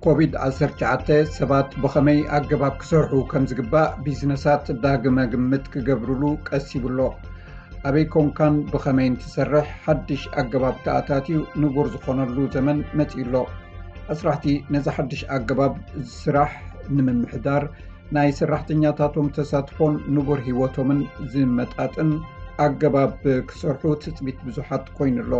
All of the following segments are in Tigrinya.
ኮቪድ ዓሰርተ ትሽዓተ ሰባት ብኸመይ ኣገባብ ክሰርሑ ከም ዝግባእ ቢዝነሳት ዳግመ ግምት ክገብርሉ ቀስ ይብሎ። ኣበይ ኮንካን ብኸመይን ትሰርሕ ሓድሽ ኣገባብ ተኣታትዩ ንቡር ዝኾነሉ ዘመን መጺኡ ኣሎ። ኣስራሕቲ ነዚ ሓድሽ ኣገባብ ስራሕ ንምምሕዳር ናይ ሰራሕተኛታቶም ተሳትፎን ንቡር ህይወቶምን ዝመጣጥን ኣገባብ ክሰርሑ ትጽቢት ብዙሓት ኮይኑ ኣሎ።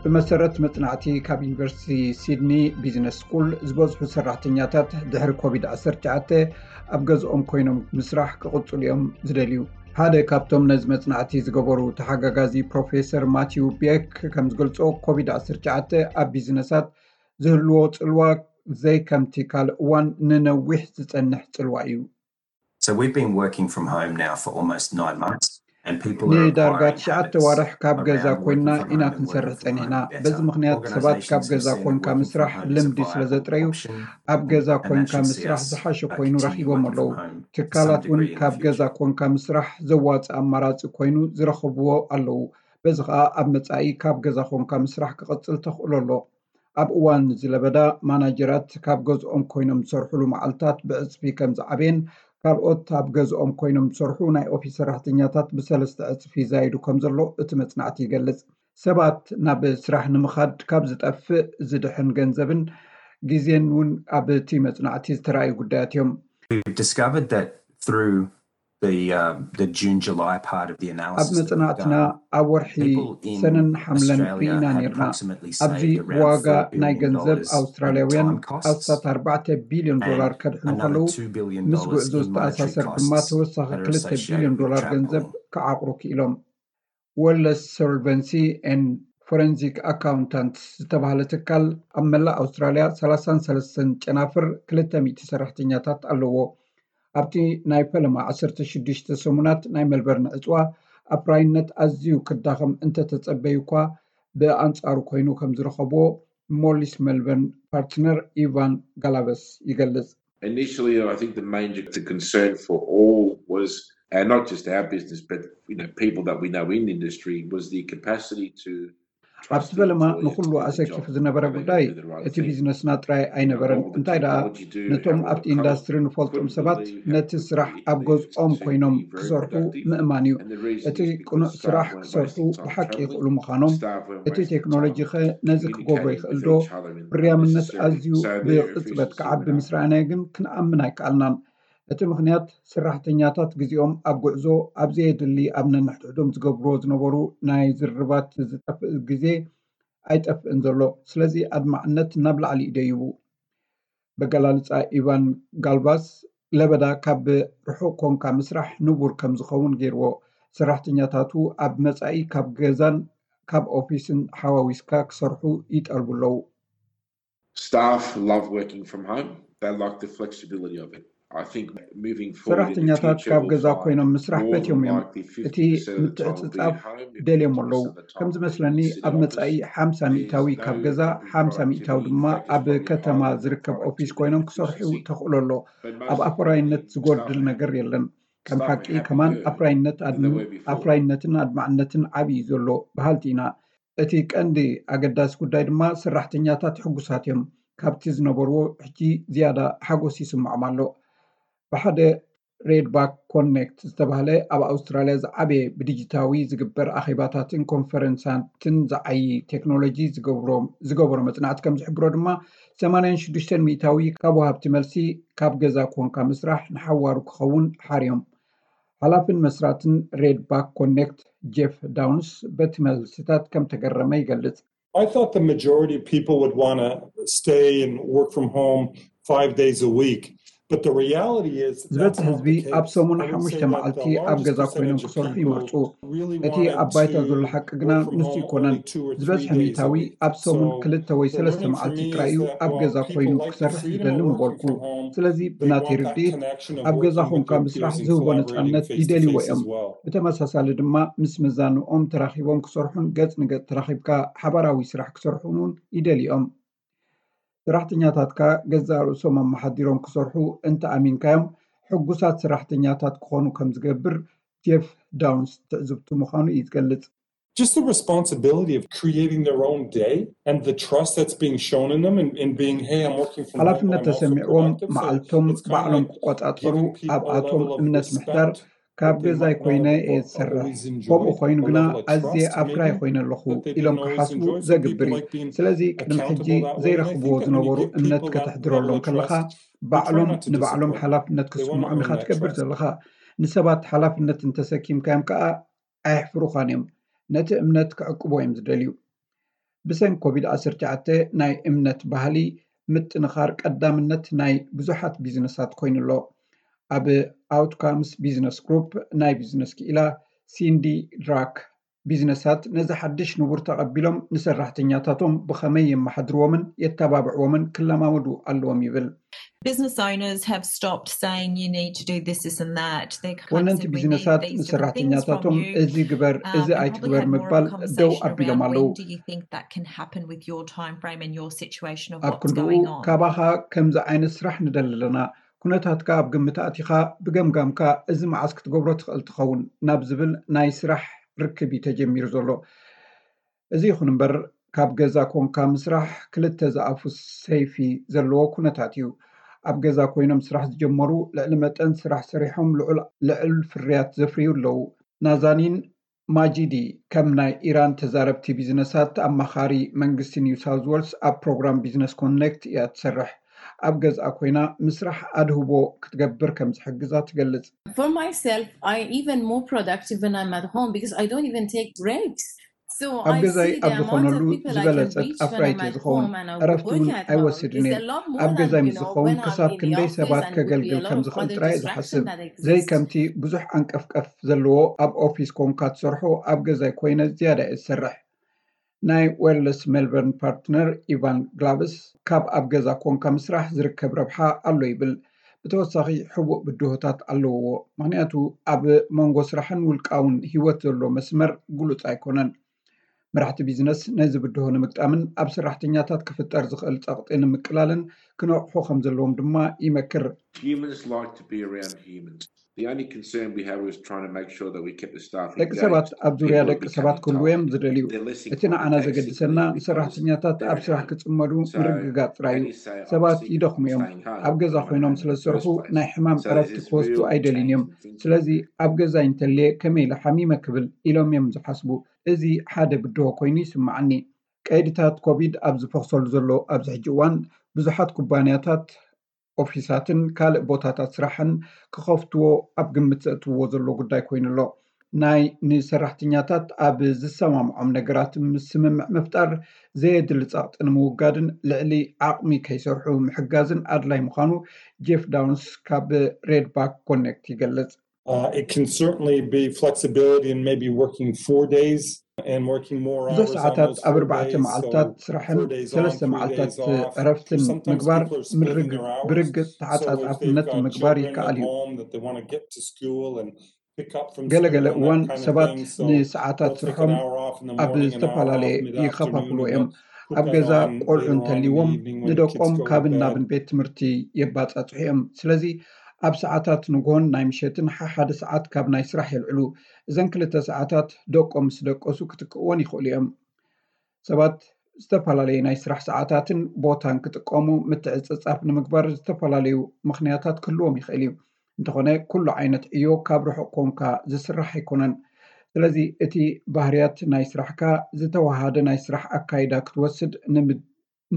ብመሰረት መጽናዕቲ ካብ ዩኒቨርሲቲ ሲድኒ ቢዝነስ ስኩል ዝበዝሑ ሰራሕተኛታት ድሕሪ ኮቪድ ዓሰርተ ትሽዓተ ኣብ ገዝኦም ኮይኖም ምስራሕ ክቕጽሉ እዮም ዝደልዩ። ሓደ ካብቶም ነዚ መጽናዕቲ ዝገበሩ ተሓጋጋዚ ፕሮፌሰር ማቲው ቤክ ከም ዝገልጾ ኮቪድ ዓሰርተ ትሽዓተ ኣብ ቢዝነሳት ዝህልዎ ጽልዋ ዘይከምቲ ካልእ እዋን ንነዊሕ ዝጸንሕ ጽልዋ እዩ። So we've been working from home now for almost nine months. And people are ንዳርጋ acquiring ትሽዓተ habits ዋርሕ ካብ ገዛ around ኮይና working from ኢና home and ክንሰርሕ working from ጸኒሕና። home better. በዚ ምኽንያት ሰባት ካብ Organisations ገዛ have seen that ኮንካ working from ምስራሕ home is a ልምዲ ስለ viable ዘጥረዩ option, ኣብ ገዛ and that ኮይንካ should see ምስራሕ us, ዝሓሸ uh, ኮይኑ continue ረኺቦም working ኣለዉ። from home to some ትካላት እውን degree in ካብ the ገዛ future. ኮንካ ምስራሕ ዘዋፅእ ኣማራፂ ኮይኑ ዝረኸብዎ ኣለዉ። በዚ ከዓ ኣብ መፃኢ ካብ ገዛ ኮንካ ምስራሕ ክቕፅል ተኽእሎ ኣሎ። ኣብ እዋን እዚ ለበዳ ማናጀራት ካብ ገዝኦም ኮይኖም ዝሰርሕሉ መዓልታት ብዕፅፊ ከም ዝዓበየን ካልኦት ኣብ ገዝኦም ኮይኖም ዝሰርሑ ናይ ኦፊስ ሰራሕተኛታት ብሰለስተ ዕፅፊ ይዛይዱ ከም ዘሎ እቲ መፅናዕቲ ይገልፅ። ሰባት ናብ ስራሕ ንምኻድ ካብ ዝጠፍእ ዝድሕን ገንዘብን ግዜን እውን ኣብ እቲ መፅናዕቲ ዝተረኣዩ ጉዳያት እዮም። We've discovered that through the uh, the June July part of the ኣብ analysis that we've መፅናዕትና done, ኣብ ወርሒ people in ሰነን ሓምለን Australia ሪኢና had ነርና። approximately ኣብዚ saved around ዋጋ four billion ናይ ገንዘብ dollars in ኣውስትራልያውያን time costs ኣስታት ኣርባዕተ ቢልዮን ዶላር and ከድሕኑ another ከለዉ two billion ምስ dollars ጉዕዞ in monetary ዝተኣሳሰር ድማ costs ተወሳኺ that are ክልተ associated ቢልዮን with ዶላር ገንዘብ travel. ክዓቕሩ ክኢሎም። ወለስ ሶልቨንሲ ኤን ፎረንሲክ ኣካውንታንትስ ዝተባህለ ትካል ኣብ መላእ ኣውስትራልያ ሰላሳን ሰለስተን ጨናፍር ክልተ ሚእቲ ሰራሕተኛታት ኣለዎ። ኣብቲ ናይ ፈለማ ዓሰርተ ሽዱሽተ ሰሙናት ናይ መልበርን ዕፅዋ ኣፍራይነት ኣዝዩ ክዳኸም እንተተጸበዩ እኳ ብኣንጻሩ ኮይኑ ከም ዝረኸብዎ ሞሊስ መልበርን ፓርትነር ኢቫን ጋላቨስ ይገልጽ። Initially, I think the major concern for all was, and not just our business, but you know, people that we know in industry, was the capacity to ኣብቲ ፈለማ ንኹሉ ኣሰኪፉ ዝነበረ ጉዳይ እቲ ቢዝነስና ጥራይ ኣይነበረን። እንታይ ደኣ፣ ነቶም ኣብቲ ኢንዳስትሪ ንፈልጦም ሰባት ነቲ ስራሕ ኣብ ገዝኦም ኮይኖም ክሰርሑ ምእማን እዩ። እቲ ቅኑዕ ስራሕ ክሰርሑ ብሓቂ ይኽእሉ ምዃኖም፣ እቲ ቴክኖሎጂ ኸ ነዚ ክገብሮ ይኽእል ዶ? ፍርያምነት ኣዝዩ ብቕጽበት ክዓቢ ምስ ረኣናዮ ግን ክንኣምን ኣይከኣልናን። እቲ ምኽንያት ሰራሕተኛታት ግዜኦም ኣብ ጉዕዞ ኣብ ዘየድሊ ኣብ ነንሕድሕዶም ዝገብርዎ ዝነበሩ ናይ ዝርርባት ዝጠፍእ ግዜ ኣይጠፍእን ዘሎ። ስለዚ ኣድማዕነት ናብ ላዕሊ እዩ ደይቡ። በገላልጻ ኢቫን ጋልቫስ ለበዳ ካብ ርሑቕ ኮንካ ምስራሕ ንቡር ከም ዝኸውን ገይርዎ። ሰራሕተኛታቱ ኣብ መጻኢ ካብ ገዛን ካብ ኦፊስን ሓዋዊስካ ክሰርሑ ይጠልቡ ኣለዉ። Staff love working from home. They like the flexibility of it. I think moving forward in the ሰራሕተኛታት future ካብ will ገዛ find ኮይኖም ምስራሕ more than ፈትዮም እዮም። likely እቲ fifty percent of the time will be ምትዕጽጻፍ at home if ደልዮም it's ኣለዉ። most of the ከም time ዝመስለኒ it's in ኣብ the መጻኢ office. ሓምሳ ሚእታዊ ካብ ገዛ ሓምሳ ሚእታዊ ድማ ኣብ ከተማ ዝርከብ ኦፊስ ኮይኖም ክሰርሑ ተኽእሎ ኣሎ። ኣብ ኣፍራይነት ዝጎድል ነገር የለን። ከም ሓቂ ከማን ኣፍራይነት ኣፍራይነትን ኣድማዕነትን ዓብዪ እዩ ዘሎ በሃልቲ ኢና። እቲ ቀንዲ ኣገዳሲ ጉዳይ ድማ ሰራሕተኛታት ሕጉሳት እዮም። ካብቲ ዝነበርዎ ሕጂ ዝያዳ ሓጎስ ይስምዖም ኣሎ። ብሓደ ሬድባክ ኮኔክት ዝተባህለ ኣብ ኣውስትራልያ ዝዓበየ ብዲጂታዊ ዝግበር ኣኼባታትን ኮንፈረንሳትን ዝዓዪ ቴክኖሎጂ ዝገበሮ መጽናዕቲ ከም ዝሕብሮ ድማ ሰማንያን ሽዱሽተን ሚእታዊ ካብ ወሃብቲ መልሲ ካብ ገዛ ኮንካ ምስራሕ ንሓዋሩ ክኸውን ሓርዮም። ሓላፍን መስራትን ሬድባክ ኮኔክት ጄፍ ዳውንስ በቲ መልስታት ከም ተገረመ ይገልጽ። I thought the majority of people would want to stay and work from home five days a week. But the reality is ዝበዝሕ ህዝቢ ኣብ ሰሙን ሓሙሽተ መዓልቲ ኣብ ገዛ ኮይኖም ክሰርሑ ይመርፁ። እቲ ኣብ ባይታ ዘሎ ሓቂ ግና ንሱ ይኮነን። ዝበዝሕ ሚእታዊ ኣብ ሰሙን ክልተ ወይ ሰለስተ መዓልቲ ጥራይ እዩ ኣብ ገዛ ኮይኑ ክሰርሕ ዝደሊ ምበልኩ። ስለዚ ብናተይ ርድኢት ኣብ ገዛ ኮንካ ምስራሕ ዝህቦ ነፃነት ይደልይዎ እዮም። ብተመሳሳሊ ድማ ምስ መዛንኦም ተራኺቦም ክሰርሑን ገፅ ንገፅ ተራኺብካ ሓባራዊ ስራሕ ክሰርሑን እውን ይደልዮም። ሰራሕተኛታትካ ገዛእ ርእሶም ኣመሓዲሮም ክሰርሑ እንተኣሚንካዮም ሕጉሳት ሰራሕተኛታት ክኾኑ ከም ዝገብር ጄፍ ዳውንስ ትዕዝብቱ ምዃኑ እዩ ዝገልጽ። just the responsibility of creating their own day and the trust that's being shown in them and, and being, hey, I'm working from home, but ሓላፍነት I'm also ተሰሚዕዎም productive. So መዓልቶም it's kind of ባዕሎም like ክቆጻጸሩ giving people a ኣብኣቶም level of እምነት ምሕዳር respect ካብ that they ገዛይ might not ኮይነ have እየ or ዝሰርሕ። always ከምኡ enjoyed, ኮይኑ a ግና level of ኣዝየ trust to ኣፍራይ me ኮይነ ኣለኹ that they ኢሎም didn't always ክሓስቡ enjoy. So ዘግብር people እዩ። like being ስለዚ ቅድሚ ሕጂ accountable that way. And I ዘይረኽብዎ think that when you ዝነበሩ give እምነት people that ከተሕድረሎም level of ከለኻ trust, they try ባዕሎም not to ንባዕሎም disappoint you. ሓላፍነት They want to ክስምዖም earn ኢኻ that ትገብር trust. ዘለኻ። ንሰባት ሓላፍነት እንተሰኪምካዮም ከኣ ኣየሕፍሩኻን እዮም። ነቲ እምነት ክዕቅቦ እዮም ዝደልዩ። ብሰንኪ ኮቪድ ዓሰርተ ትሽዓተ ናይ እምነት ባህሊ ምጥንኻር ቀዳምነት ናይ ብዙሓት ቢዝነሳት ኮይኑ ኣሎ። ኣብ ኣውትካምስ ቢዝነስ ግሩፕ ናይ ቢዝነስ ክኢላ ሲንዲ ድራክ፣ ቢዝነሳት ነዚ ሓድሽ ንቡር ተቐቢሎም ንሰራሕተኛታቶም ብኸመይ የመሓድርዎምን የተባብዕዎምን ክለማመዱ ኣለዎም ይብል። Business owners have stopped saying you need to do this, this and that. They're kind of ወነንቲ said, we need ቢዝነሳት these different things from ንሰራሕተኛታቶም you. እዚ ግበር Um, እዚ and probably ኣይትግበር had more ምባል ደው conversation ኣቢሎም around ኣለዉ። When do you think that can happen with your time frame and your situation of ኣብ what's ክንድኡ going on? ካባኻ ከምዚ ዓይነት ስራሕ ንደሊ ኣለና፣ ኩነታትካ ኣብ ግምት ኣእቲኻ ብገምጋምካ እዚ መዓስ ክትገብሮ ትኽእል ትኸውን ናብ ዝብል ናይ ስራሕ ርክብ እዩ ተጀሚሩ ዘሎ። እዚ ይኹን እምበር ካብ ገዛ ኮንካ ምስራሕ ክልተ ዝኣፉ ሰይፊ ዘለዎ ኩነታት እዩ። ኣብ ገዛ ኮይኖም ስራሕ ዝጀመሩ ልዕሊ መጠን ስራሕ ሰሪሖም ልዑል ልዕል ፍርያት ዘፍርዩ ኣለዉ። ናዛኒን ማጂዲ ከም ናይ ኢራን ተዛረብቲ ቢዝነሳት ኣማኻሪ መንግስቲ ኒው ሳውዝ ዌልስ ኣብ ፕሮግራም ቢዝነስ ኮኔክት እያ ትሰርሕ። ኣብ ገዝኣ ኮይና ምስራሕ ኣድህቦ ክትገብር ከም ዝሕግዛ ትገልጽ። For myself, I even more productive when I'm at home because I don't even take breaks. So ኣብ I ገዛይ see the ኣብ amount of ዝኾነሉ people I can ዝበለጸት reach when I'm ኣፍራይት እየ at ዝኸውን። home and I ዕረፍቲ work እውን at home is ኣይወስድን እየ። a lot more ኣብ than, ገዛይ you ምስ know, ዝኸውን when I'm ክሳብ in the ክንደይ office ሰባት and it would be ከገልግል a lot ከም of ዝኽእል other ጥራይ እየ ዝሓስብ። distraction that ዘይ exists. ከምቲ ብዙሕ ዓንቀፍቀፍ ዘለዎ ኣብ ኦፊስ ኮንካ ትሰርሖ ኣብ ገዛይ ኮይነ ዝያዳ እየ ዝሰርሕ። ናይ ዌርለስ ሜልበርን ፓርትነር ኢቫን ግላቭስ ካብ ኣብ ገዛ ኮንካ ምስራሕ ዝርከብ ረብሓ ኣሎ ይብል። ብተወሳኺ ሕቡእ ብድሆታት ኣለውዎ፣ ምኽንያቱ ኣብ መንጎ ስራሕን ውልቃውን ህይወት ዘሎ መስመር ግሉጽ ኣይኮነን። መራሕቲ ቢዝነስ ነዚ ብድሆ ንምግጣምን ኣብ ሰራሕተኛታት ክፍጠር ዝኽእል ጸቕጢ ንምቅላልን ክነቕሑ ከም ዘለዎም ድማ ይመክር። Humans like to be around humans. The only concern we had was trying to make sure that we kept the staffing ደቂ engaged. ሰባት ኣብ ዙርያ People are ደቂ ሰባት becoming ክህልዉ tired. እዮም ዝደልዩ። They're less እቲ ንዓና inclined to take ዘገድሰና sick leave because ንሰራሕተኛታት they're ኣብ at ስራሕ home. ክጽመዱ So, ምርግጋጽ ጥራይ እዩ። as you say, I'm ሰባት sick, I'm ይደኽሙ እዮም። staying home. ኣብ ገዛ I'm at ኮይኖም home in ስለ the ዝሰርሑ first place. ናይ ሕማም So there's ዕረፍቲ this ክወስዱ real ኣይደልዩን እዮም። thinking. ስለዚ ኣብ ገዛይ እንተልየ ከመይ ኢለ ሓሚመ ክብል ኢሎም እዮም ዝሓስቡ። እዚ ሓደ ብድሆ ኮይኑ ይስምዓኒ። ቀይድታት ኮቪድ ኣብ ዝፈኽሰሉ ዘሎ ኣብዚ ሕጂ እዋን ብዙሓት ኩባንያታት ኦፊሳትን ካልእ ቦታታት ስራሕን ክኸፍትዎ ኣብ ግምት ዘእትውዎ ዘሎ ጉዳይ ኮይኑ ኣሎ። ናይ ንሰራሕተኛታት ኣብ ዝሰማምዖም ነገራት ምስምምዕ ምፍጣር ዘየድሊ ጸቕጢ ንምውጋድን ልዕሊ ዓቕሚ ከይሰርሑ ምሕጋዝን ኣድላይ ምዃኑ ጄፍ ዳውንስ ካብ ሬድባክ ኮኔክት ይገልጽ። Uh, it can certainly be flexibility and maybe working four days and working more ብዙሕ hours on ሰዓታት those ኣብ four ኣርባዕተ days. So መዓልታት ስራሕን four days on, ሰለስተ three መዓልታት days off. ዕረፍትን Sometimes ምግባር people are splitting ምርግ- their hours. ብርግጽ So if they've ተሓጻጻፍነት got ምግባር children at ይከኣል እዩ። Home that they want to get to school and pick up from ገለገለ school and እዋን that kind of ሰባት thing, so ንሰዓታት they'll take ስርሖም an hour off in the ኣብ morning, an hour off ዝተፈላለየ mid-afternoon, ይኸፋፍሉ and እዮም። then put ኣብ that ገዛ on ቆልዑ later on in the እንተልይዎም evening when the kids ንደቆም go to ካብ bed. እናብን ቤት ትምህርቲ የባጻጽሑ እዮም። ስለዚ ኣብ ሰዓታት ንግሆን ናይ ምሸትን ሓሓደ ሰዓት ካብ ናይ ስራሕ የልዕሉ። እዘን ክልተ ሰዓታት ደቆም ምስ ደቀሱ ክትክእወን ይኽእሉ እዮም። ሰባት ዝተፈላለየ ናይ ስራሕ ሰዓታትን ቦታን ክጥቀሙ ምትዕጽጻፍ ንምግባር ዝተፈላለዩ ምኽንያታት ክህልዎም ይኽእል እዩ። እንተኾነ ኩሉ ዓይነት ዕዮ ካብ ርሑቕ ኮንካ ዝስራሕ ኣይኮነን። ስለዚ እቲ ባህርያት ናይ ስራሕካ ዝተወሃደ ናይ ስራሕ ኣካይዳ ክትወስድ ንምድ-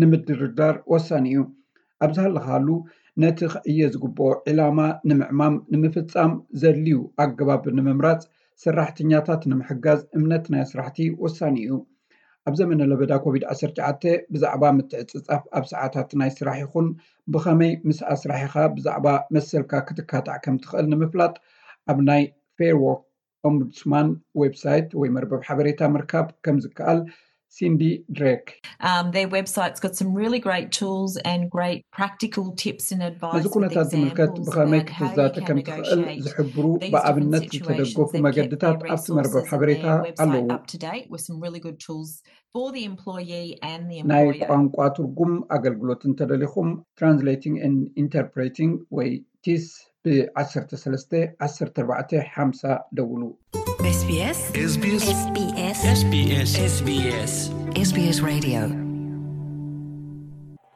ንምድርዳር ወሳኒ እዩ። ኣብ ዝሃለኻሉ ነቲ ክዕየ ዝግብኦ ዕላማ ንምዕማም ንምፍጻም ዘድልዩ ኣገባብ ንምምራጽ ሰራሕተኛታት ንምሕጋዝ እምነት ናይ ኣስራሕቲ ወሳኒ እዩ። ኣብ ዘመነ ለበዳ ኮቪድ ዓሰርተ ትሽዓተ ብዛዕባ ምትዕጽጻፍ ኣብ ሰዓታት ናይ ስራሕ ይኹን ብኸመይ ምስ ኣስራሒኻ ብዛዕባ መሰልካ ክትካታዕ ከም ትኽእል ንምፍላጥ ኣብ ናይ ፌር ዎርክ ኦምቡድስማን ዌብሳይት ወይ መርበብ ሓበሬታ ምርካብ ከም ዝከኣል ሲንዲ ድሬክ Um, their website's got some really great tools and great practical tips and advice. ነዚ ኩነታት ዝምልከት ብኸመይ ክትዛተ ከም ትኽእል ዝሕብሩ ብኣብነት ዝተደገፉ መገድታት ኣብቲ መርበብ ሓበሬታ ኣለዉ። With some really good tools for the employee and the ናይ employer. ቋንቋ ትርጉም ኣገልግሎት እንተደሊኹም ትራንስሌቲንግ ኤንድ ኢንተርፕሬቲንግ ወይ ቲስ ብ ዓሰርተ ሰለስተ ዓሰርተ ኣርባዕተ ሓምሳ ደውሉ። This SBS SBS SBS SBS SBS Radio